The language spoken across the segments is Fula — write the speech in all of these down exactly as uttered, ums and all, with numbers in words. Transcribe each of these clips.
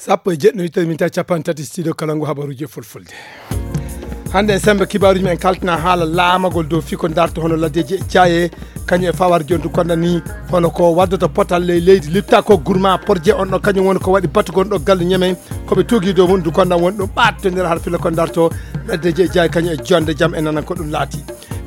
Sappo e jeɗɗi no ittata min tawi capanɗe tati studio kala ngu habaruuji e fulfulde. Hannde e semmbe kibaaruuji men en kaltina haala laamagol dow fii ko darto hono laddeeji e jaaye, kañum e fawar jooni du konda ni hono ko waddata potal ley leydi lipta ko gourma porje on ɗo kañum woni ko waɗi batugol ɗo galle ñeme ko ɓe tuugi dow mum du konda woni ɗum ɓaattondir har fila ko darto laddeeji e jaaye kañum e jonde jam e nanan ko ɗum laati.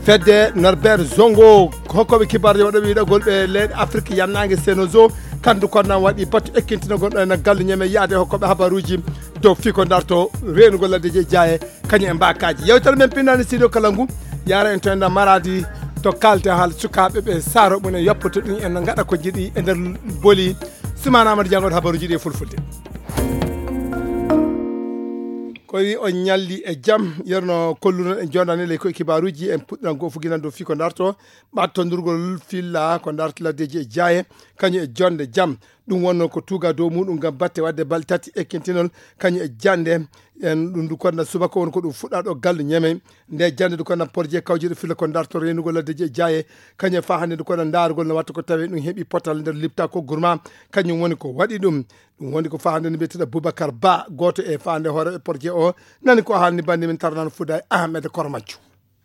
Fedde Norbert Zongo, hokkoɓe kibarje waɗoɓe yiɗagol ɓe leyɗe Afrique yannaange Senozo, kandu konnan waɗi batu ekkintinogol ɗo ena galle ñeme yaade hokkoɓe habaruuji dow fii ko darto reenugol laddeeji e jaaye kañum e mbaakaaji. Yewtere men pinnani studio kala ngu, yaara en to enda Maradi to kaalte haala sukaaɓe ɓe saaro mum en yoppoto ɗum en ngaɗa ko jiɗi e nder boli. Sumana Amadou Diango habaruuji ɗi e fulfulde. Ko wi on ñalli e jam, yerno kolluno en jondani ley koye kibaruuji en puɗɗan goo fuginan dow fii ko darto ɓattondurgol filla ko darto laddeeji e jaaye kañum e jonde jam. Ɗum wonno ko tuuga dow muɗum ngam batte wadde balɗe tati ekkintinol kañum e jande. En ɗum du konda subaka won ko ɗum fuɗɗa ɗo gallu ñeme nde jande du konda porje kawjiɗo filla ko darto renugol laddeeji e jaaye kañum e fa hannde du konda ndaarugol no watta ko tawi ɗum heɓi potal nder lipta ko gourma kañum woni ko waɗi ɗum. Ɗum woni ko faande no mbiyeteɗo Boubacar Ba, gooto e faande hooreeɓe porje o, nani ko haalni bannde men tarnano Fouda e Ahmed Kormajjo.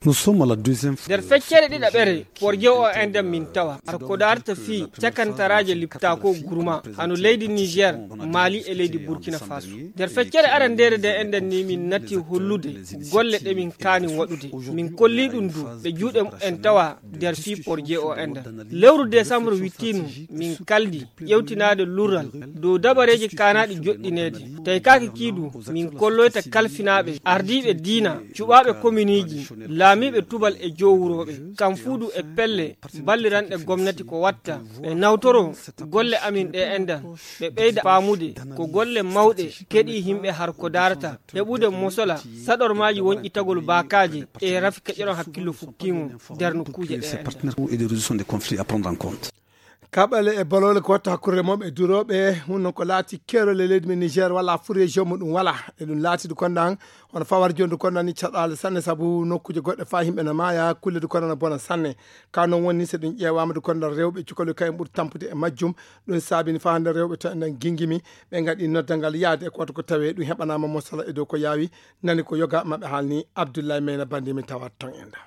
Nous sommes à la deuxième fois. Nder feccere ɗiɗaɓere porje o enden min tawa ar ko darta fii cakantaraaje liptako gourma hano leydi Niger, Mali e leydi Burkina Faso. Nder feccere arandere nde enden ni min natti hollude golle ɗe min kaani waɗude. Min kolli ɗum du ɓe juuɗe en tawa nder fii porje o enden. Lewru décembre wittinu min kaldi ƴewtinaade lural dow dabareeji kaanaaɗi joɗɗineede. Tawi kaake kiidu min kolloyta kalfinaaɓe, ardiiɓe diina, cuɓaaɓe kominiiji, laamiiɓe tubal e jowurooɓe, kam fuudu e pelle balliranɗe gomnati ko watta. Ɓe nawtoro golle amin ɗe endan, ɓe ɓeyda faamude ko golle mawɗe keɗii yimɓe har ko darata, heɓude mosola, saɗormaaji wonƴitagol baakaaje e rafi keƴoɗon hakkillo fukkiimo nder nokkuuje ɗe endan. Kaɓale e bolole ko watta hakkunde remooɓe e durooɓe, hunno ko laati keerol e leydi men Niger, wala fuu région mo ɗum wala. E ɗum laati du konda han, hono fawar jooni du konda ni caɗaale sanne, sabu nokkuuje goɗɗe faa yimɓe na maaya, kulle du konda na bona sanne. Ka noon woni, so ɗum ƴeewaama du konda rewɓe cukaloy kayen ɓuri tampude e majjum. Ɗum saabini faa hannde rewɓe to enen gingimi, ɓe ngaɗi noddal ngal yaade e ko watta ko tawee ɗum heɓanaama mosala e dow ko yaawi. Nani ko yoga maɓɓe haalni Abdoulaye Meyna Bandi min tawa ton enda.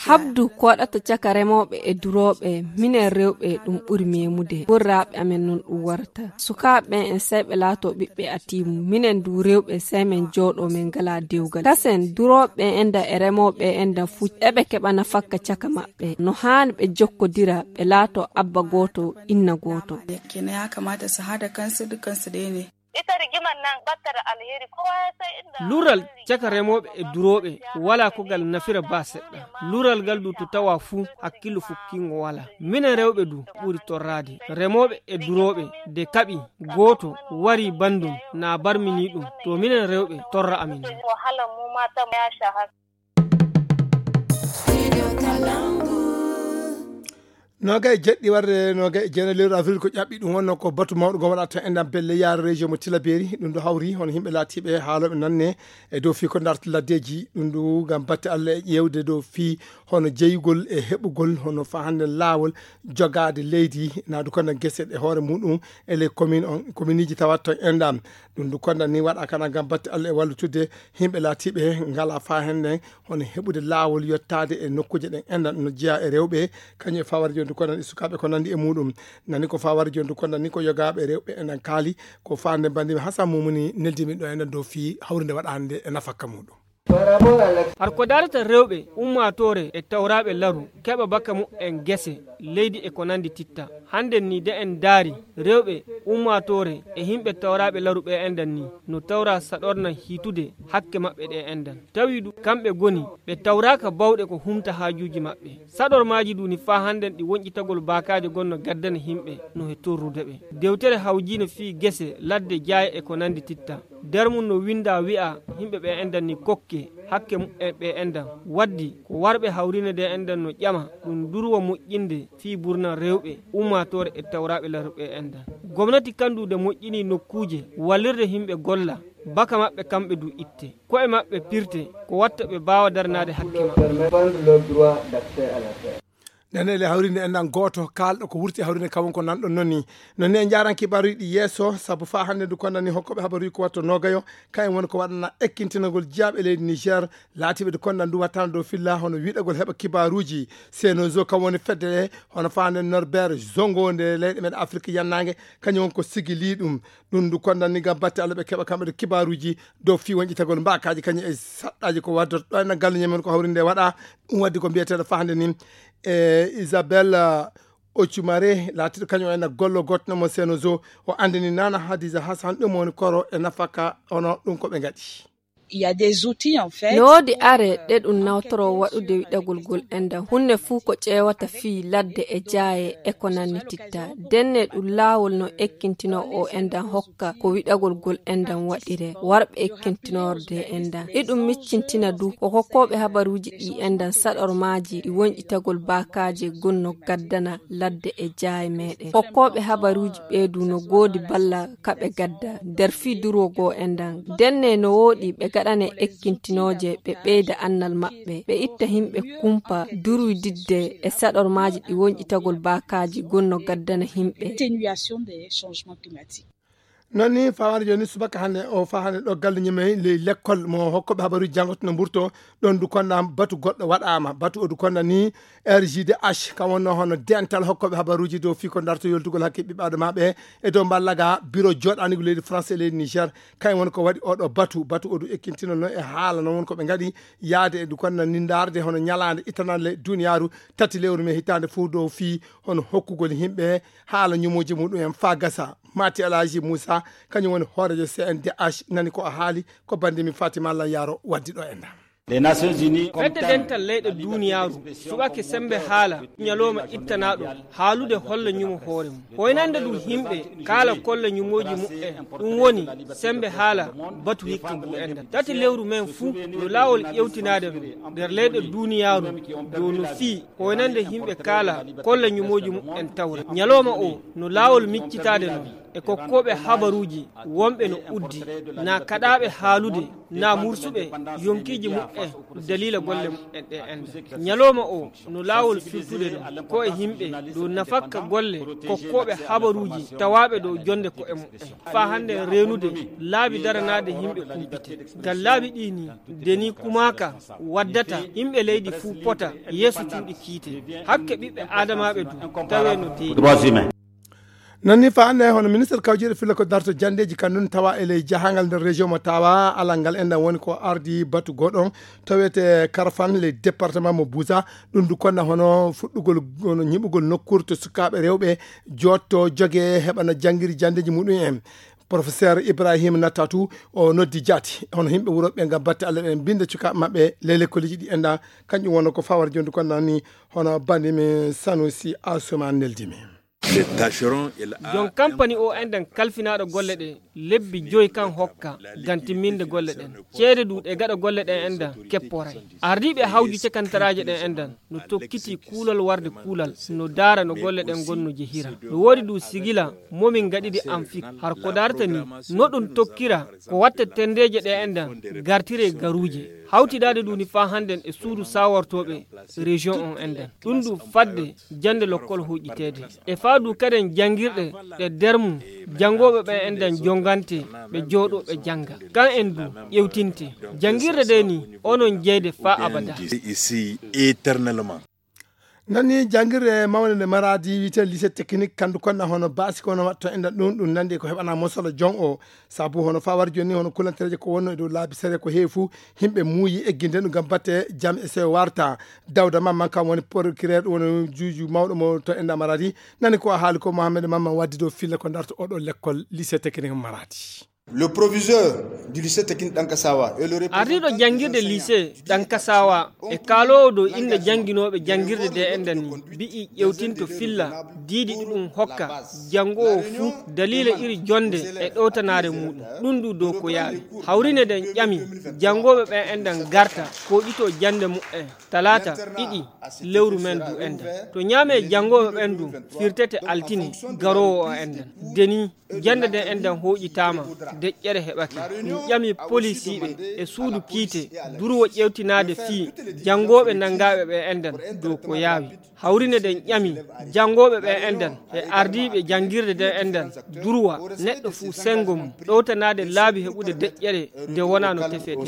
Habdu ko waɗata caka remooɓe e durooɓe, minen rewɓe ɗum ɓuri memude. Worraaɓe amen noon ɗum warata. Sukaaɓe ɓen en sey ɓe laato ɓiɓɓe atiimu. Minen du rewɓe sey men jooɗo men ngala dewgal. Kasen durooɓe ɓen enda e remooɓe ɓen enda fuu eɓe keɓa nafakka caka maɓɓe. No haani ɓe jokkodira, ɓe laato abba gooto, inna gooto. Kenan ya kamata su haɗa kansu dukansu ɗaya ne. Ita rigimar nan batta da alheri, kowa ya san inda. Lural caka remooɓe e durooɓe walaa ko ngal nafira baa seɗɗa. Lural ngal du to tawa fuu hakkillo fukkingo walaa. Minen rewɓe du ɓuri torraade. Remooɓe e durooɓe de kaɓi gooto wari banndum na barmini ɗum. To minen rewɓe torra amin. Wahala mu mata ya sha haka. Noga e jeɗɗi warde noga e jeena lewru avril ko ƴaɓɓi ɗum wonno ko batu mawɗo ngo waɗata en ɗam belle yaara région mo Tilaberi. Ɗum ɗo hawri hono yimɓe laatiɓe haaloɓe nanne e dow fii ko darta laddeji. Ɗum ɗo ngam batte Allah e ƴeewde dow fii hono jeyugol e heɓugol hono fa hannde laawol jogaade leydi naadu kono gese e hoore muɗum e les commune on, commune iji tawata ton enɗam. Ɗum ɗo konda ni waɗa kana ngam batte Allah e wallutude yimɓe laatiɓe ngala fa hannde hono heɓude laawol yottaade e nokkuuje ɗen enɗan no jeyaa e rewɓe, kañum e fawar jooni du konda e sukaaɓe ko nandi e muɗum. Nani ko fawar jooni du konda ni ko yogaaɓe rewɓe enɗan kaali ko faande bandiɓe Hasan Mumuni neldimi ɗo enɗan dow fii hawrinde waɗande e nafakka muɗum. Har ko darata rewɓe ummaatoore e tawraaɓe laru keɓa baka mu'en gese, leydi e ko nandi titta. Hannden ni de en daari rewɓe ummaatoore e yimɓe tawraaɓe laru ɓe enɗan ni no tawra saɗorna hiitude hakke maɓɓe ɗe enɗan. Tawi du kamɓe goni ɓe tawraaka bawɗe ko humta haajuuji maɓɓe. Saɗormaaji du ni faa hannden ɗi wonƴitagol baakaaje gonno gaddana yimɓe no he torrude ɓe. Dewtere hawjiino fii gese, ladde, jaaye e ko nandi titta. Nder mum no winndaa wi'aa yimɓe ɓe enɗan ni kokke hakke mu'en ɓe enɗan. Waddi ko warɓe hawrine ɗe enɗan no ƴama ɗum durwa moƴƴinde fii burna rewɓe ummaatoore e tawraaɓe laru ɓe enɗan. Gomnati kan du de moƴƴini nokkuuje wallirde yimɓe golla baka maɓɓe kamɓe du itte. Ko'e maɓɓe pirte ko watta ɓe mbaawa darnaade hakke maɓɓe. Nane le hawrinde en nan gooto kaalɗo ko wurti e hawrinde kam won ko nan ɗon noon ni. No ne en njaaran kibaaruuji ɗi yeeso, sabu faa hannde ndu konnani hokkooɓe habaruuji ko watto noogayo, kayen woni ko waɗana ekkintinagol jiyaaɓe leydi Niger, laatiiɓe ndu konnan ndu wattana dow filla hono wiɗagol heɓa kibaaruuji. Senozo kam woni fedde ɗe, hono faa hannde Norbert Zongo nde leyɗe men Afrik yannaange, kañum won ko sigilii ɗum. Ɗum ndu konnani ngam batte Allah ɓe keɓa kamɓe ɗo kibaaruuji dow fii wonƴitagol mbaakaaji kañum e saɗɗaaji ko waddata ɗo en galle ñamen ko hawrinde waɗa. Ɗum waddi ko mbiyeteeɗo faa hannde ni e Isabelle Ocumare, laatiiɗo kañum en gollo gootno mo Senozo, o anndini Nana Hadiza Hassan ɗum woni koro e nafaka, hono ɗum ko ɓe ngaɗi. Il y a des outils, en fait. No woodi are ɗe ɗum nawtoroo waɗude wiɗagol ngol enɗan. Huunde fuu ko ƴeewata fii ladde e jaaye e ko nannititta. Denne ɗum laawol no ekkintinoo o enɗan hokka ko wiɗagol ngol enɗan waɗiree. Warɓe ekkintinorde enɗan. Iɗum miccintina du ko hokkooɓe habaruuji ɗi enɗan saɗormaaji ɗi wonƴitagol baakaaje gonno gaddana ladde e jaaye meeɗen. Hokkooɓe habaruuji ɓee du no goodi balla ka ɓe gadda nder fii durwogoo enɗan. Denne no wooɗi ɓe gaɗane ekkintinooje, ɓe ɓeyda annal maɓɓe, ɓe itta himɓe kumpa duruydidde e saɗormaaji ɗi wonƴitagol baakaaji gonno gaddana himɓe. Atténuation des changements climatiques. Noon ni fawaade jooni subaka hannde o faa hannde ɗo galle ñimey ley lekkol mo hokkooɓe habaruuji janngoto no mburto. Ɗoon du konna batu goɗɗo waɗaama. Batu o du konna ni R J D H, kam wonnoo hono dental hokkooɓe habaruuji dow fii ko darto yoltugol hakke ɓiɓɓe adamaaɓe e dow mballaga biro jooɗaanigu leydi France e leydi Niger. Kayen woni ko waɗi oɗo batu. Batu o du ekkintinol noon e haala noon woni ko ɓe ngaɗi yaade e du konna ni ndaarde hono ñalaande ittanande duniyaaru tati lewru me hitaande fof dow fii hono hokkugol yimɓe haala ñumooji muɗum en faa gasa. Mati Alhaji Moussa, kañum woni hooreejo C N D H, nani ko a haali, ko banndi mi Fatima Allah Yaro waddi ɗo enɗan. Les Nations Unies, comme fedde dental leyɗe duniyaaru suɓake sembe haala ñalooma ittanaaɗo haalude holla ñumo hoore mum. Hoynande ɗum yimɓe kaala kolla ñumooji muɓɓen, ɗum woni sembe haala batu hikka ngu enɗan. Tati lewru men fuu no laawol ƴewtinaade no nder leyɗe duniyaaru dow no fii hoynande yimɓe kaala kolla ñumooji muɓɓen tawra. Ñalooma o no laawol miccitaade no e kokkooɓe habaruuji wonɓe no uddi, naa kaɗaaɓe haalude, naa mursuɓe yonkiiji muɓɓen daliila golle muɓɓen ɗe enɗan. Ñalooma o no laawol firtude no ko e yimɓe dow nafakka golle kokkooɓe habaruuji tawaaɓe dow jonde ko'e muɓɓen. Faa hannde reenude laabi daranaade yimɓe kumpite. Ngam laabi ɗii nii, deni kumaaka waddata yimɓe leydi fuu pota yeeso cuuɗi kiite. Hakke ɓiɓɓe aadamaaɓe du tawee no deeƴi. Noon ni faa hannde hono ministre kawjeeɗo filla ko darto janndeeji kan nun tawa e ley jahangal nder région mo tawa alal ngal enɗan woni ko ardi batu goɗon tawete Karfan ley département mo Buza. Ɗum du konna hono fuɗɗugol hono ñiɓugol nokkuure to sukaaɓe rewɓe jotto joge heɓana janngiri janndeeji muɗum en. Professeur Ibrahim Natatu o noddi jaati hono yimɓe wuro ɓe ngam batte Allah ɓe mbinda cukaaɓe maɓɓe ley lekkoliji ɗi enɗan. Kanƴum wonno ko fawar jondu konna ni hono bandimi Sanusi Asuma neldimi. Jon kampani o enɗan kalfinaaɗo golle ɗe lebbi joyi kan hokka ngam timminde golle ɗen. Ceede du ɗe gaɗa golle ɗen enɗan kepporay. Ardiiɓe hawju cakantaraaje ɗen enɗan no tokkiti kuulal warde kuulal no daara no golle ɗen gonno jehira. No woodi du sigila momin gaɗidi an fik har ko darata ni no ɗum tokkira ko watta tendeeje ɗe enɗan gartire garuuje. Hawtidaade du ni faa hannden e suudu sawartooɓe région on enɗan. Ɗum du fadde jannde lokkol huuƴiteede. E faa du kaden janngirɗe ɗe der mum janngooɓe ɓen enɗan jongante ɓe jooɗoo ɓe jannga. Kan en du ƴewtinte. Janngirde de ni onon jeyde faa abada. Ici éternellement. Nani janngirde mawnde nde Maradi wiyetee lycée technique kandu konna hono baasi kono watto enɗan ɗum ɗum nanndi ko heɓana mosolo jon o. Sabu hono faa wari jooni hono kulantereeje ko wonno e dow laabi sere ko heewi fuu yimɓe muuyi egginde ɗum ngam batte jam e sewo warta. Dawda Mamman kam woni procureur ɗum woni juuju mawɗo mo to enɗan Maradi. Nani ko a haali ko Mohamed Mamman waddi dow filla ko darto oɗo lekkol lycée technique Maradi. Le proviseur du lycée technique Dankasawa et le représentant ardiiɗo janngirde lycée Dankasawa e kaaloowo dow innde jannginooɓe janngirde de enɗan ni mbi'i ƴewtinto filla diidi ɗuɗum hokka janngoowo fuu daliila iri jonnde e ɗowtanaare muuɗum. Ɗum du dow ko yaawi hawrine den ƴami janngooɓe ɓen enɗan garta kooƴitoo jannde muɓɓen talaata ɗiɗi lewru men du enɗan. To ñaamee janngooɓe ɓen du firtete altine garoowo o enɗan. Deni jannde nden enɗan hooƴitaama Deƴƴere heɓake. Min ƴami polisiiɓe e suudu kiite durwo ƴeewtinaade fii janngooɓe nanngaaɓe ɓe enɗan dow ko yaawi. Hawrine ɗen ƴami janngooɓe ɓe enɗan e ardiiɓe janngirde ɗen enɗan durwa neɗɗo fuu senngo mum ɗowtanaade laabi heɓude deƴƴere nde wonaa no tefetee.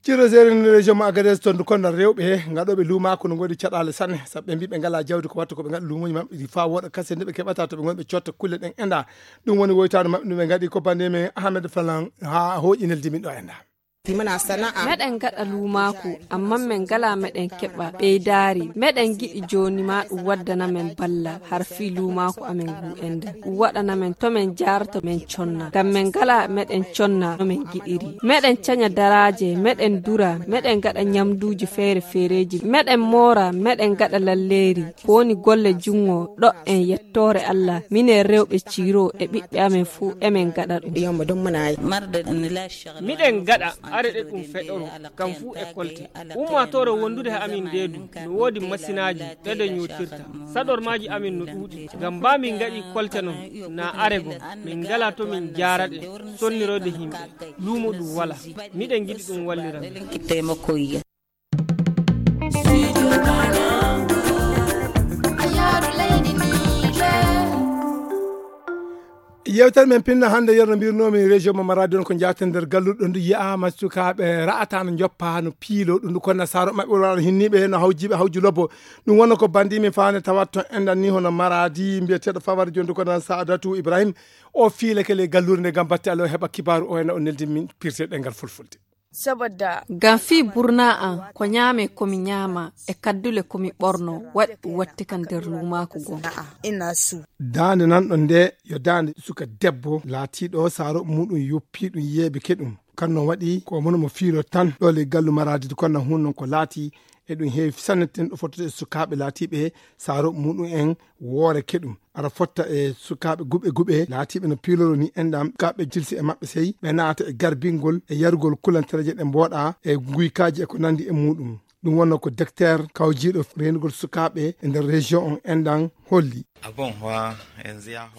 Ciro seeɗa région mo Agadez, toon du konnal rewɓe he ngaɗooɓe luumaaku no ngoodi caɗaale sanne, sabu ɓe mbii ɓe ngalaa jawdi ko watta ko ɓe ngaɗa luumooji maɓɓe ɗi faa wooɗa kase nde ɓe keɓata to ɓe ngoni ɓe cotta kulle ɗen enɗa. Ɗum woni woytaano maɓɓe no ɓe ngaɗi ko bannde men Ahmed Falan haa hooƴi neldi min ɗo enɗa. Meɗen ngaɗa luumaaku, amma men ngalaa meɗen keɓa ɓeydaari. Meɗen giɗi jooni maa ɗum waddana men balla har fii luumaaku amen ngu enɗan. Ɗum waɗana men to men jaarata men conna. Ngam men ngalaa meɗen conna no men giɗiri. Meɗen caña daraaje, meɗen dura, meɗen ngaɗa ñamduuji feere feereeji. Meɗen moora, meɗen ngaɗa lalleeri. Ko woni golle junngo ɗo en yettoore Allah. Minen rewɓe Ciro e ɓiɓɓe amen fuu emen ngaɗa ɗum. Miɗen ngaɗa are ɗe ɗum feɗoro, kam fuu e kolte. Ummaatoore wondude he amin ndee du, no woodi masinaaji ɗe ɗe ñootirta. Saɗormaaji amin no ɗuuɗi. Ngam baa min ngaɗi kolte non, naa are goo, min ngalaa to min jaara ɗe, sonniroyde yimɓe. Luumo ɗum walaa. Miɗen ngiɗi ɗum wallira min. Yewtere men pinna hannde, yerno mbirnoomi région mo Maradi on ko njaten nder galluɗo ndu yi'aama sukaaɓe ra'ata no njoppa no piilo ɗum ndu konna saaro maɓɓe wala hinniiɓe no hawjiiɓe hawju lobbo. Ɗum wonno ko bandi min faane tawat to enɗan ni hono Maradi mbiyeteeɗo Fawar Jondi ko nan Saadatu Ibrahim. O fiilake le galluure nde ngam batte Allah o heɓa kibaaru o ena o neldi min pirte ɗengal fulfulde. Saboda ngam fii burnaa an, ko ñaame ko mi ñaama, e kaddule ko mi ɓorno, waɗi ɗum watti kan nder luumaaku gon. Daande nanɗo nde yo daande suka debbo laatiiɗo saaro muɗum yoppi ɗum yeeɓike ɗum. Kan no waɗi ko mono mo fiilo tan ɗo le gallu Maradi kon na hun non ko laati e ɗum heewi sanne ten ɗo fottude e sukaaɓe laatiiɓe saaro muɗum en woore keɗum. Ara fotta e sukaaɓe guɓe guɓe laatiiɓe no piiloro ni enɗam sukaaɓe jilsi e maɓɓe sey ɓe naata e garbingol e yarugol kulantereeje ɗe mbooɗa e nguykaaji e ko nanndi e muɗum. Ɗum wonno ko docteur kawjiiɗo reenugol sukaaɓe e nder région on enɗam holli.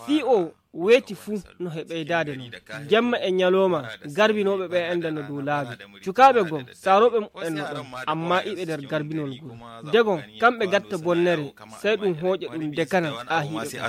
Fii o weeti fuu no he ɓeydaade non. Jemma e ñalooma garbinooɓe ɓe enɗan no dow laabi. Sukaaɓe goo saarooɓe muɓɓen no ɗon, amma iɓe nder garbinol ngol. Degon kamɓe gatta bonnere, sey ɗum hooƴa ɗum dekana aahiiɓe.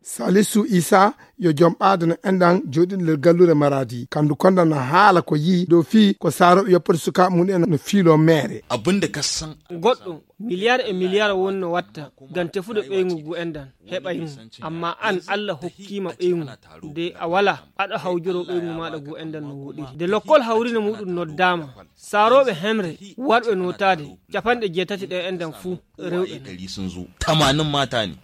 Salisu Isa yo jom ɓaade no enɗan jooɗiɗo nder galluure Maradi. Kandu konda no haala ko yii dow fii ko saarooɓe yoppata sukaaɓe mum en no fiiloo meere. Goɗɗo miliyar e miliyar wonno watta ngam tefude ɓeyngu ngu enɗan heɓay ngu. Amma an Allah hokkiima ɓeyngu nde a walaa aɗa hawjoroo ɓeyngu maaɗa ngu enɗan no woɗiri. Nde lokkol hawrine muɗum noddaama, saarooɓe hemre warɓe nootaade capanɗe jeetati ɗe enɗan fuu rewɓe.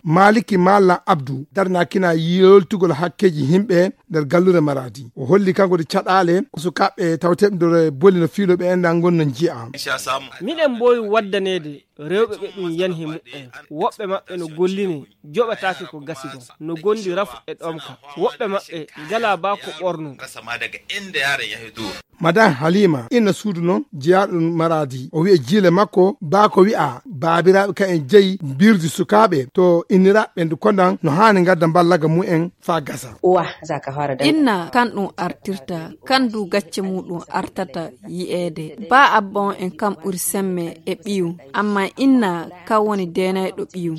Maliki Malla Abdu darnakina yoltugol hakkeeji yimɓe nder galluure Maradi. O holli kanko de caɗaale ko sukaaɓe tawteeɓe nder boli no fiilooɓe enɗan ngon no nji'a. Miɗen mboowi waddaneede rewɓe ɓe ɗum yani he muɓɓen. Woɓɓe maɓɓe no gollinee joɓataake ko gasi ɗon, no gondi rafu e ɗomka. Woɓɓe maɓɓe ngalaa baa ko ɓorno. Madan Halima inna suudu non jeyaaɗo Maradi. O wi'a jiile makko baa ko wi'a baabiraaɓe ka en jeyi mbirdi sukaaɓe to inniraaɓe ɓe ndu kondan no haani ngadda mballaga mumen faa gasa. Inna kan ɗum artirta, kan du gacce muɗum artata yi'eede. Baa abba on en kam ɓuri semme e ɓiyu, amma inna kan woni deenayɗo ɓiyu.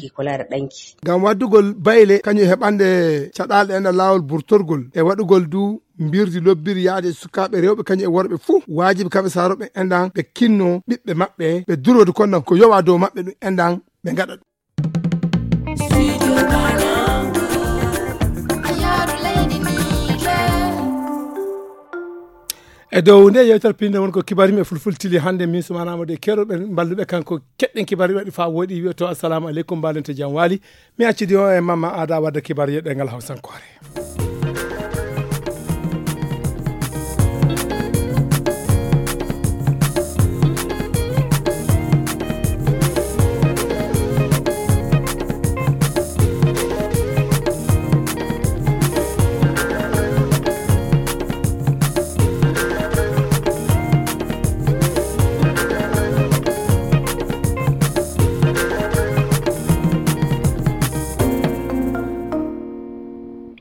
Ngam waddugol bayle kañum e heɓande caɗaale ɗen e laawol burtorgol e waɗugol du mbirdi lobbiri yaade e sukaaɓe rewɓe kañum e worɓe fuu waajibi kamɓe saarooɓe enɗan ɓe kinno ɓiɓɓe maɓɓe ɓe durode kondan ko yowa dow maɓɓe ɗum enɗan ɓe ngaɗa ɗum. E dow nde yewtere pinde won ko kibaar yimɓe fulfultili hannde min sumanama de keroɓe mballuɓe kanko keɗɗen kibaar waɗi fa woɗi wiyo to assalamu aleykum mbalente jam waali. Mi accidi o e mamma aada wadde kibaar yeɗɗe ngal hawsankore.